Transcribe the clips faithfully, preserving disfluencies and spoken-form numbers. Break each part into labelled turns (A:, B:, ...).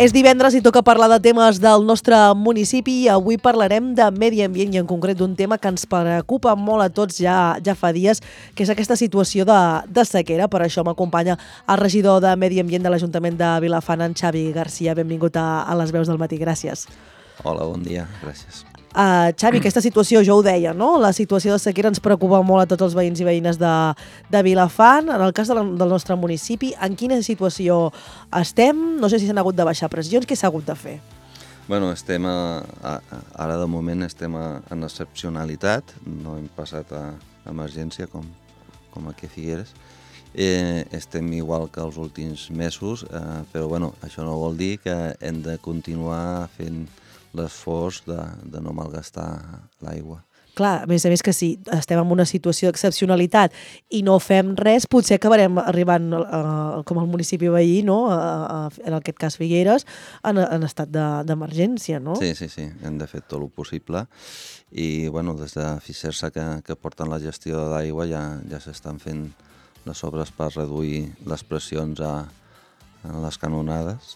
A: És divendres i toca parlar de temes del nostre municipi i avui parlarem de medi ambient i en concret d'un tema que ens preocupa molt a tots ja ja fa dies, que és aquesta situació de, de sequera. Per això m'acompanya el regidor de Medi Ambient de l'Ajuntament de Vilafant, en Xavi Garcia. Benvingut a, a les veus del matí. Gràcies.
B: Hola, bon dia. Gràcies.
A: Uh, Xavi, aquesta situació, jo ho deia, no? La situació de sequera ens preocupa molt a tots els veïns i veïnes de, de Vilafant. En el cas de la, del nostre municipi, en quina situació estem? No sé si s'han hagut de baixar pressions, què s'ha hagut de fer?
B: Bueno, estem a, a, ara de moment estem a, en excepcionalitat, no hem passat a emergència com, com aquí a Figueres. Eh, estem igual que els últims mesos, eh, però bueno, això no vol dir que hem de continuar fent l'esforç de, de no malgastar l'aigua.
A: Clar, a més a més que si estem en una situació d'excepcionalitat i no fem res, potser acabarem arribant, eh, com el municipi veí, no? a, a, en aquest cas Figueres, en, en estat d'emergència, no?
B: Sí, sí, sí, hem de fer tot el possible i bueno, des de Fisersa que, que porten la gestió de l'aigua ja, ja s'estan fent les obres per reduir les pressions a, a les canonades.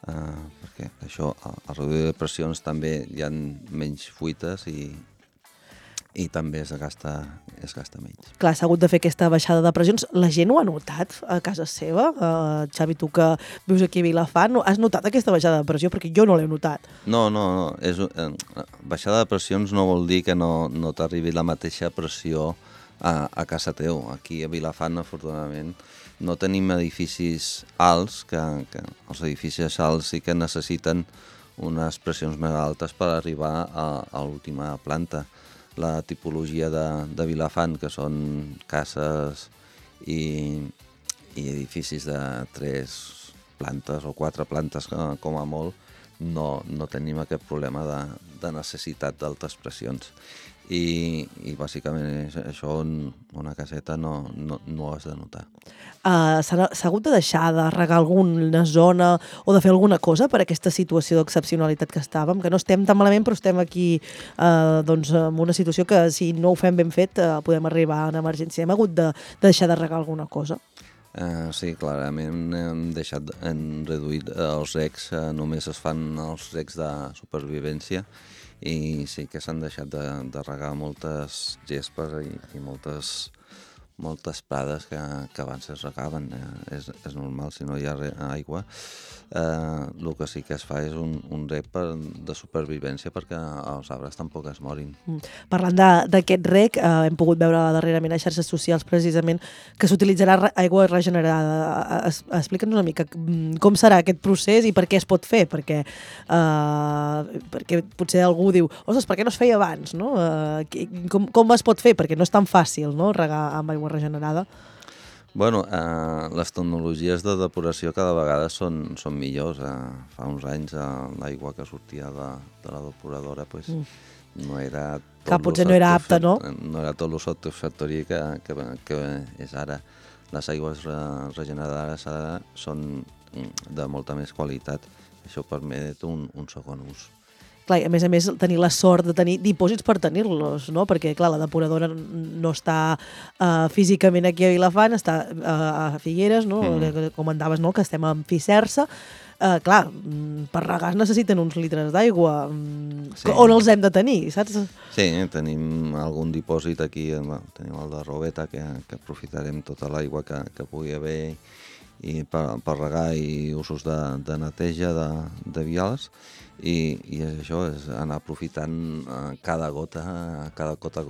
B: Uh, perquè això, a reduir de pressions també hi ha menys fuites i, i també es gasta, es gasta menys.
A: Clar, s'ha hagut de fer aquesta baixada de pressions. La gent ho ha notat a casa seva? Uh, Xavi, tu que vius aquí a Vilafant, has notat aquesta baixada de pressió? Perquè jo no l'he notat.
B: No, no, no. És, eh, baixada de pressions no vol dir que no, no t'arribi la mateixa pressió a, a casa teu. Aquí a Vilafant, afortunadament, no tenim edificis alts, que, que els edificis alts sí que necessiten unes pressions més altes per arribar a, a l'última planta. La tipologia de, de Vilafant, que són cases i, i edificis de tres plantes o quatre plantes com a molt, no, no tenim aquest problema de, de necessitat d'altes pressions. I, i bàsicament això en una caseta no, no, no ho has de notar.
A: Uh, S'ha hagut de deixar de regar alguna zona o de fer alguna cosa per aquesta situació d'excepcionalitat que estàvem, que no estem tan malament però estem aquí uh, doncs, en una situació que si no ho fem ben fet uh, podem arribar en emergència. Hem hagut de, de deixar de regar alguna cosa?
B: Uh, sí, clarament hem deixat, hem reduït els recs, uh, només es fan els recs de supervivència i sí que s'han deixat de, de regar moltes gespes i, i moltes, moltes prades que, que abans es regaven. Eh, és, és normal, si no hi ha re, aigua. Eh, el que sí que es fa és un, un rec per, de supervivència perquè els arbres tampoc es morin.
A: Mm. Parlant d'aquest rec, eh, hem pogut veure darrerament a xarxes socials precisament que s'utilitzarà aigua regenerada. Es, Explica'ns una mica com serà aquest procés i per què es pot fer, perquè, eh, perquè potser algú diu, ostres, per què no es feia abans? No? Eh, com, com es pot fer? Perquè no és tan fàcil, no?, regar amb aigua regenerada.
B: Bueno, eh, les tecnologies de depuració cada vegada són, són millors. Eh, fa uns anys eh, l'aigua que sortia de, de la depuradora pues, mm. no era...
A: Que potser no era apta, no?
B: No era tot el satisfactori que, que, que és ara. Les aigües re, regenerades ara són de molta més qualitat. Això permet un, un segon ús.
A: Clar, a més a més, tenir la sort de tenir dipòsits per tenir-los, no? Perquè, clar, la depuradora no està uh, físicament aquí a Vilafant, està uh, a Figueres, no? Mm. Com comentaves, no?, que estem en Fisersa. Uh, clar, per regar es necessiten uns litres d'aigua. Sí. On els hem de tenir, saps?
B: Sí, tenim algun dipòsit aquí, bueno, tenim el de Robeta, que, que aprofitarem tota l'aigua que, que pugui haver i per, per regar i usos de, de neteja de, de vials. I, i això és anar aprofitant cada gota, cada gota,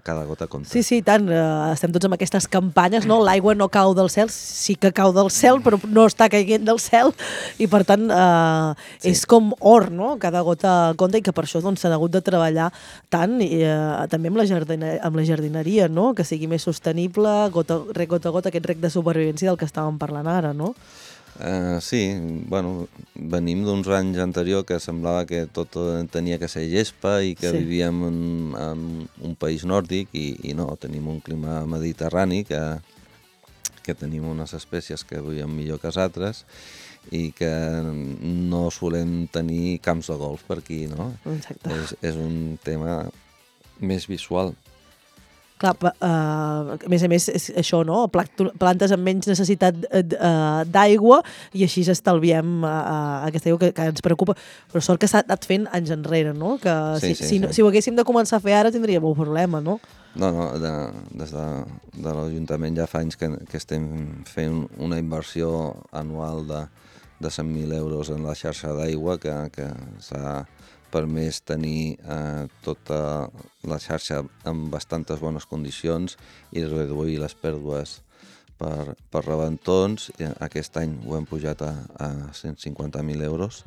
B: cada gota compta.
A: Sí, sí, tant. Uh, estem tots amb aquestes campanyes, no? L'aigua no cau del cel, sí que cau del cel, però no està caient del cel, i per tant uh, sí. És com or, no? Cada gota compta, i que per això doncs, s'ha hagut de treballar tant, i uh, també amb la, jardineria, amb la jardineria, no? Que sigui més sostenible, gota, rec gota a gota, aquest rec de supervivència del que estàvem parlant ara, no?
B: Uh, sí, bueno, venim d'uns anys anterior que semblava que tot tenia que ser gespa i que sí. Vivíem en, en un país nòrdic i, i no, tenim un clima mediterrani que, que tenim unes espècies que viuen millor que les altres i que no solem tenir camps de golf per aquí, no?
A: Exacte.
B: És, és un tema més visual.
A: Clar, uh, a més a més, és això, no? Plantes amb menys necessitat uh, d'aigua i així estalviem uh, aquesta aigua que, que ens preocupa. Però sort que s'ha anat fent anys enrere, no? Que
B: sí,
A: si,
B: sí,
A: si,
B: sí.
A: si ho haguéssim de començar a fer ara tindríem un problema, no?
B: No, no, de, des de, de l'Ajuntament ja fa anys que, que estem fent una inversió anual de, de cent mil euros en la xarxa d'aigua que, que s'ha permès tenir eh, tota la xarxa en bastantes bones condicions i reduir les pèrdues per, per rebentons. Aquest any ho hem pujat a, a cent cinquanta mil euros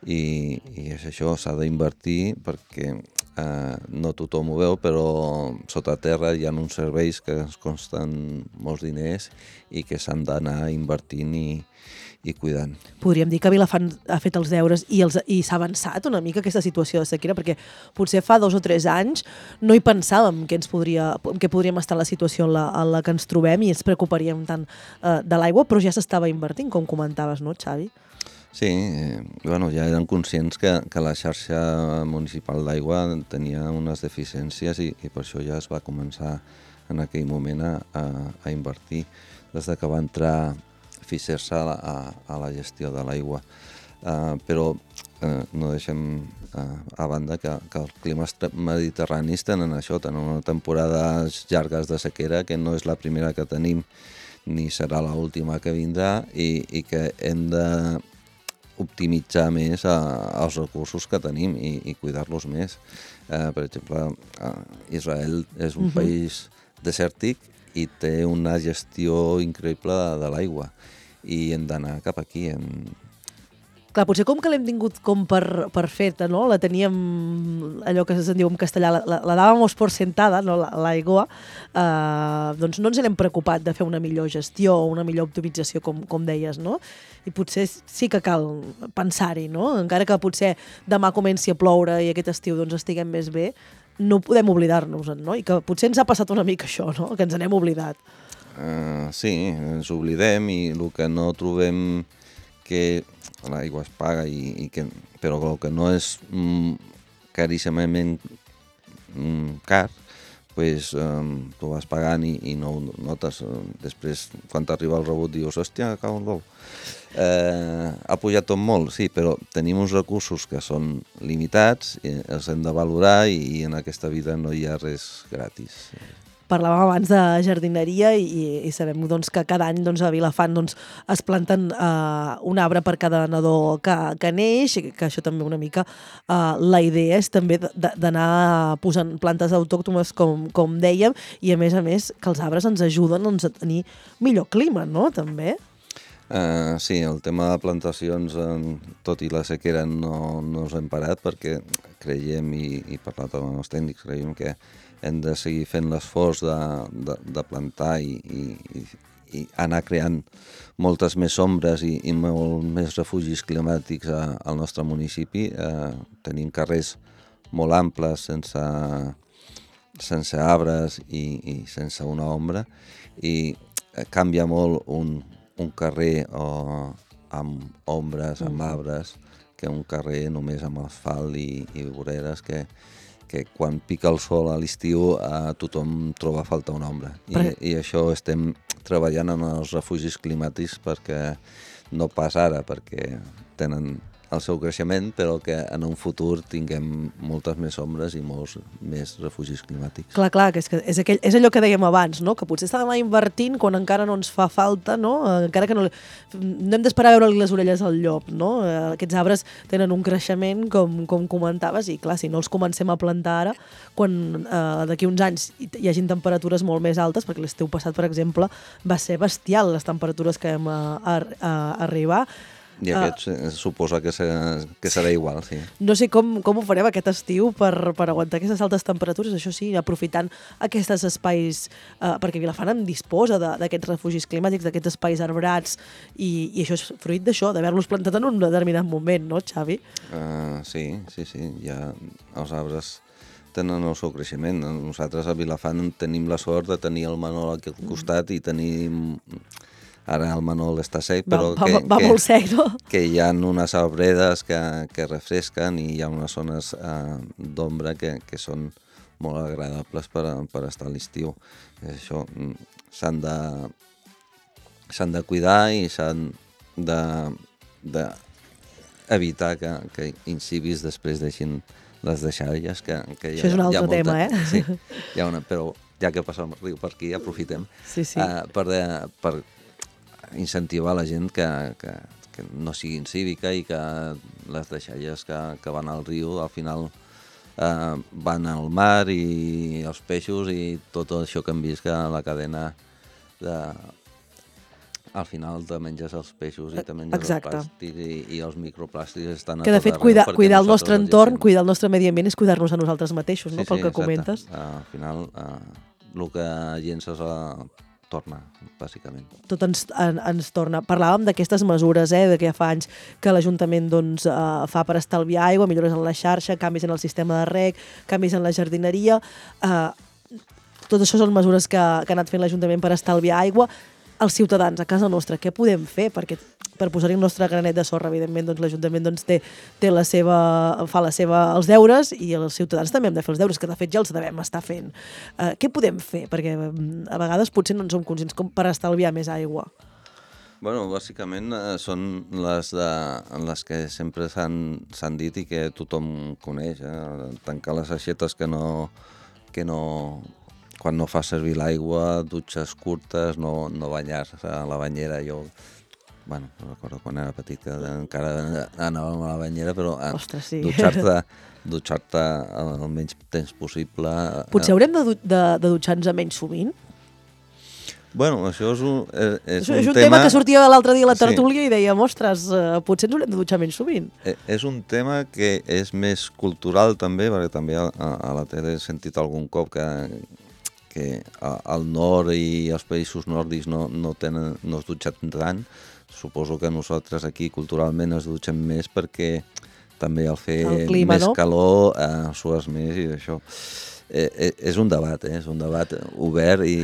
B: i, i és això, s'ha d'invertir perquè eh, no tothom ho veu, però sota terra hi ha uns serveis que ens costen molts diners i que s'han d'anar invertint i, i cuidant.
A: Podríem dir que Vilafant ha fet els deures i, els, i s'ha avançat una mica aquesta situació de sequera, perquè potser fa dos o tres anys no hi pensàvem que ens podria, que podríem estar en la situació en la, en la que ens trobem i ens preocuparíem tant eh, de l'aigua, però ja s'estava invertint, com comentaves, no, Xavi?
B: Sí, eh, bueno, ja eren conscients que, que la xarxa municipal d'aigua tenia unes deficiències i, i per això ja es va començar en aquell moment a, a, a invertir des de que va entrar Ficers a, a, a la gestió de l'aigua. Uh, però uh, no deixem uh, a banda que, que els climes mediterranis tenen això, tenen una temporades llargues de sequera que no és la primera que tenim ni serà l'última que vindrà i, i que hem de optimitzar més uh, els recursos que tenim i, i cuidar-los més. Uh, per exemple, uh, Israel és un uh-huh. país desèrtic i té una gestió increïble de, de l'aigua i hem d'anar cap aquí. Hem...
A: Clar, potser com que l'hem tingut com per, per feta, no? La teníem, allò que se'n diu en castellà, la, la, la dàvamos por sentada, no? L'aigua, eh, doncs no ens n'hem preocupat de fer una millor gestió o una millor optimització, com, com deies, no? I potser sí que cal pensar-hi, no? Encara que potser demà comenci a ploure i aquest estiu doncs estiguem més bé, no podem oblidar-nos-en, no? I que potser ens ha passat una mica això, no? Que ens n'hem oblidat.
B: Uh, sí, ens oblidem i el que no trobem que l'aigua es paga, i, i que, però el que no és mm, caríssimament mm, car, pues, um, tu vas pagant i, i no ho notes. Després, quan t'arriba el rebut, dius, hòstia, cau el bou. Eh, ha pujat tot molt, sí, però tenim uns recursos que són limitats, i els hem de valorar i, i en aquesta vida no hi ha res gratis.
A: Parlàvem abans de jardineria i, i sabem doncs, que cada any doncs, a Vilafant doncs, es planten eh, un arbre per cada nadó que, que neix, que això també una mica eh, la idea és també d'anar posant plantes autòctones com, com dèiem, i a més a més que els arbres ens ajuden doncs, a tenir millor clima, no? També.
B: Uh, sí, el tema de plantacions, eh, tot i la sequera, no, no us hem parat perquè creiem, i, i parlat amb els tècnics, creiem que hem de seguir fent l'esforç de, de, de plantar i, i, i anar creant moltes més ombres i, i molt més refugis climàtics a, al nostre municipi. Eh, tenim carrers molt amples sense, sense arbres i, i sense una ombra, i canvia molt un, un carrer o, amb ombres, amb arbres, que un carrer només amb asfalt i, i voreres que que quan pica el sol a l'estiu eh, tothom troba a falta una ombra. I, Però... I això estem treballant en els refugis climàtics perquè no pas ara, perquè tenen el seu creixement, però que en un futur tinguem moltes més ombres i molts més refugis climàtics.
A: Clar, clar, que és, que és, aquell, és allò que dèiem abans, no? Que potser estàvem invertint quan encara no ens fa falta, no? Encara que no, no hem d'esperar a veure les orelles al llop, no? Aquests arbres tenen un creixement, com, com comentaves, i clar, si no els comencem a plantar ara, quan eh, d'aquí uns anys hi hagin temperatures molt més altes, perquè l'estiu passat, per exemple, va ser bestial les temperatures que vam a, a, a arribar.
B: I aquest uh, suposa que serà, que serà igual, sí.
A: No sé com, com ho farem aquest estiu per, per aguantar aquestes altes temperatures, això sí, aprofitant aquests espais, uh, perquè Vilafant en disposa d'aquests refugis climàtics, d'aquests espais arbrats, i, i això és fruit d'això, d'haver-los plantat en un determinat moment, no, Xavi?
B: Uh, sí, sí, sí, ja els arbres tenen el seu creixement. Nosaltres a Vilafant tenim la sort de tenir el Manol aquí al costat i tenim... Ara el Manol està sec, però
A: va,
B: que,
A: va, va
B: que,
A: molt sec, no?
B: que hi ha unes arbredes que, que refresquen i hi ha unes zones eh, d'ombra que, que són molt agradables per, per estar a l'estiu. Això s'han de, s'han de cuidar i s'han de, de evitar que, que incibis després deixin les deixalles. Que, que
A: Això és un altre
B: molta,
A: tema, eh?
B: Sí, hi ha una, però ja que passa el riu per aquí, aprofitem
A: sí, sí.
B: uh, per, de, per incentivar la gent que, que, que no sigui incívica i que les deixalles que, que van al riu al final uh, van al mar i els peixos i tot això que hem vist que la cadena de... al final te menges els peixos i te menges
A: Exacte.
B: els plàstics i, i els microplàstics estan a
A: que de
B: tot
A: fet
B: arreu.
A: cuidar, cuidar el nostre entorn,
B: llegim.
A: cuidar el nostre medi ambient és cuidar-nos a nosaltres mateixos,
B: Sí,
A: no? Pel
B: sí,
A: que
B: exacte.
A: comentes.
B: Uh, al final uh, el que llences uh, torna, bàsicament.
A: Tot ens, en, ens torna. Parlàvem d'aquestes mesures, eh, de que ja fa anys que l'Ajuntament doncs, eh, fa per estalviar aigua, millores en la xarxa, canvis en el sistema de reg, canvis en la jardineria. Eh, tot això són mesures que, que ha anat fent l'Ajuntament per estalviar aigua. Els ciutadans a casa nostra, què podem fer? Perquè per posar-hi el nostre granet de sorra, evidentment, doncs, l'Ajuntament doncs, té, té la seva, fa la seva, els deures i els ciutadans també hem de fer els deures, que de fet ja els devem estar fent. Uh, què podem fer? Perquè a vegades potser no en som conscients com per estalviar més aigua.
B: Bueno, bàsicament eh, són les, de, les que sempre s'han dit i que tothom coneix. Eh? Tancar les aixetes que no... Que no quan no fa servir l'aigua, dutxes curtes, no, no banyar-se a la banyera. Jo, bueno, recordo quan era petit que encara anàvem a la banyera, però
A: Ostres, sí.
B: dutxar-te dutxar-te el menys temps possible.
A: Potser haurem de, de, de dutxar-nos menys sovint?
B: Bueno, això és un, és, és
A: un, és un
B: tema...
A: tema que sortia l'altre dia a la tertúlia
B: sí.
A: I dèiem, ostres, uh, potser ens haurem de dutxar menys sovint.
B: És un tema que és més cultural també, perquè també a, a la tele he sentit algun cop que que al nord i els països nòrdics no, no, tenen, no es dutxen tant. Suposo que nosaltres aquí culturalment es dutxem més perquè també al fer
A: el clima,
B: més
A: no?
B: calor eh, sues més i això. Eh, eh, és un debat, eh? És un debat obert i,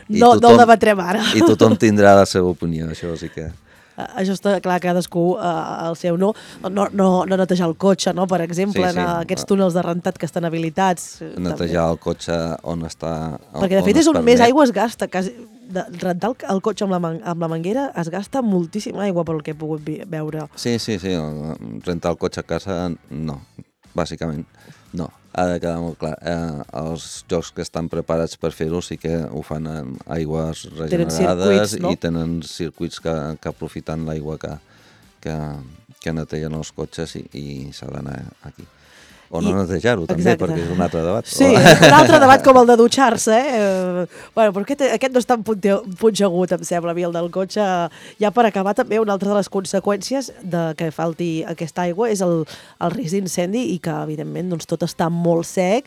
B: i
A: no,
B: tothom,
A: no el debatrem ara.
B: I tothom tindrà la seva opinió, això sí que...
A: Això està clar, cadascú uh, el seu no. No, no, no netejar el cotxe, no? Per exemple,
B: sí, sí.
A: en aquests túnels de rentat que estan habilitats.
B: Netejar també. El cotxe on està... On,
A: perquè de fet
B: on
A: és on
B: permet.
A: Més aigua es gasta. Quasi, de, rentar el, el cotxe amb la, man, amb la manguera es gasta moltíssima aigua pel que he pogut veure.
B: Sí, sí, sí. Rentar el cotxe a casa, no. Bàsicament, no. Ha de quedar molt clar. Eh, els jocs que estan preparats per fer-ho sí que ho fan amb aigües regenerades no? I tenen circuits que, que aprofiten l'aigua que, que, que netegen els cotxes i, i s'ha d'anar aquí. O no netejar-ho, també, exacte. Perquè és un altre debat.
A: Sí, un altre debat com el de dutxar-se, eh? Bueno, però aquest, aquest no és tan punxegut, em sembla, a mi, el del cotxe. Ja per acabar, també, una altra de les conseqüències de que falti aquesta aigua és el, el risc d'incendi i que, evidentment, doncs, tot està molt sec.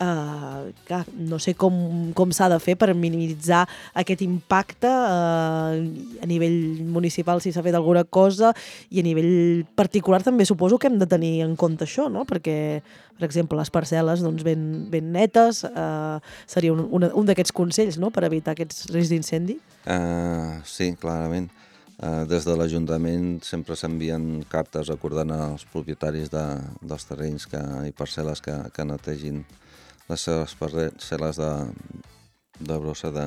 A: Uh, clar, no sé com, com s'ha de fer per minimitzar aquest impacte uh, a nivell municipal, si s'ha fet alguna cosa, i a nivell particular també suposo que hem de tenir en compte això, no? Perquè, per exemple, les parcel·les doncs, ben, ben netes uh, seria un, un, un d'aquests consells, no?, per evitar aquests riscs d'incendi.
B: Uh, sí, clarament. Uh, des de l'Ajuntament sempre s'envien cartes acordant als propietaris de, dels terrenys que, i parcel·les que, que netegin les seves parcel·les de, de brossa de,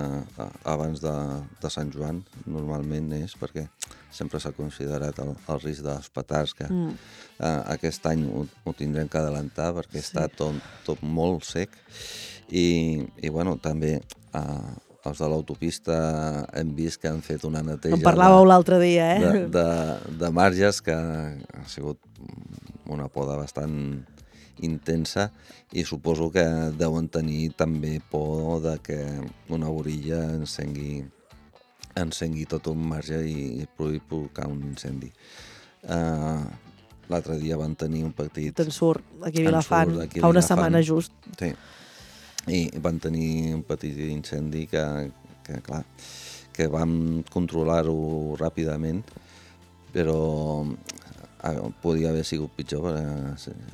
B: abans de, de Sant Joan, normalment és perquè sempre s'ha considerat el, el risc dels petards, que mm. uh, aquest any ho, ho tindrem que adelantar perquè sí. Està tot, tot molt sec i, i bueno, també uh, els de l'autopista hem vist que han fet una neteja...
A: En parlàveu l'altre dia, eh?
B: De, de, de marges que ha sigut una poda bastant intensa i suposo que deuen tenir també por de que una borilla encengui, encengui tot un marge i pugui provocar un incendi. Uh, L'altre dia van tenir un petit...
A: Te'n surt, aquí a Vilafant, aquí fa una Vilafant, setmana just.
B: Sí, i van tenir un petit incendi que, que clar, que vam controlar-ho ràpidament, però podia haver sigut pitjor per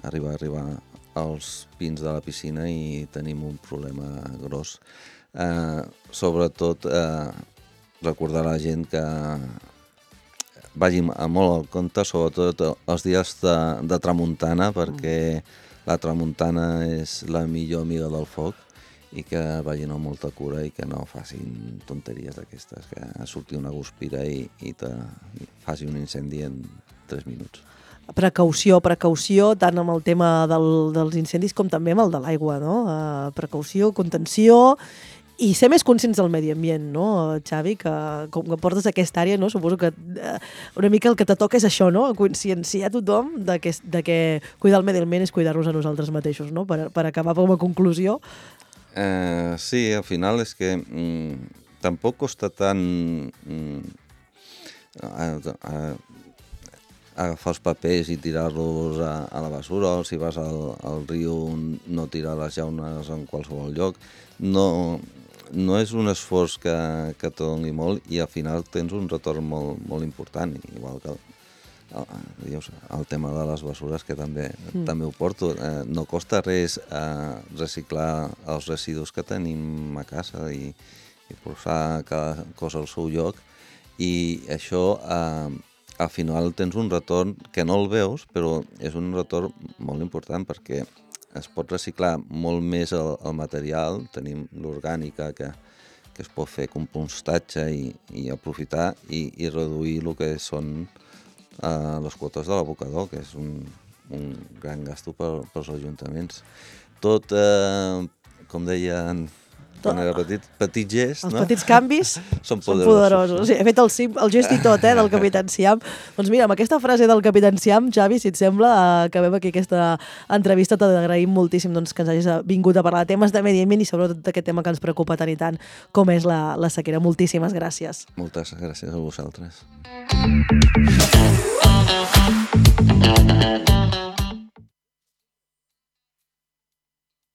B: arribar, arribar als pins de la piscina i tenim un problema gros. Eh, sobretot eh, recordar a la gent que vagi molt al compte, sobretot els dies de, de tramuntana, perquè la tramuntana és la millor amiga del foc i que vagin amb molta cura i que no facin tonteries d'aquestes, que surti una guspira i, i te faci un incendi en tres minuts.
A: Precaució, precaució, tant amb el tema del, dels incendis com també amb el de l'aigua, no? Uh, precaució, contenció i ser més conscients del medi ambient, no, Xavi? Que com que portes aquesta àrea, no? Suposo que uh, una mica el que te toca és això, no? Conscienciar tothom de que, de que cuidar el medi ambient és cuidar-nos a nosaltres mateixos, no? Per, per acabar com a conclusió.
B: Uh, sí, al final és que mm, tampoc costa tant mm, a, a, agafar els papers i tirar-los a, a la basura, o si vas al, al riu no tirar les llaunes en qualsevol lloc. No, no és un esforç que, que te doni molt i al final tens un retorn molt, molt important, igual que el, el tema de les bessures, que també, mm. també ho porto. Eh, no costa res eh, reciclar els residus que tenim a casa i, i posar cada cosa al seu lloc, i això eh, al final tens un retorn que no el veus, però és un retorn molt important perquè es pot reciclar molt més el, el material, tenim l'orgànica que, que es pot fer compostatge i, i aprofitar i, i reduir el que són uh, les quotes de l'abocador, que és un, un gran gasto per, pels ajuntaments. Tot, uh, com deien quan era petit, petits gests,
A: els
B: no?
A: petits canvis
B: són poderosos.
A: Són poderosos. No? Sí, he fet el, sim, el gest i tot, eh, del Capitán Siam. Doncs mira, amb aquesta frase del Capitán Siam, Xavi, si et sembla, acabem aquí aquesta entrevista. T'agraïm moltíssim doncs, que ens hagis vingut a parlar de temes de medi ambient i sobretot d'aquest tema que ens preocupa tant i tant com és la, la sequera. Moltíssimes gràcies.
B: Moltes gràcies a vosaltres.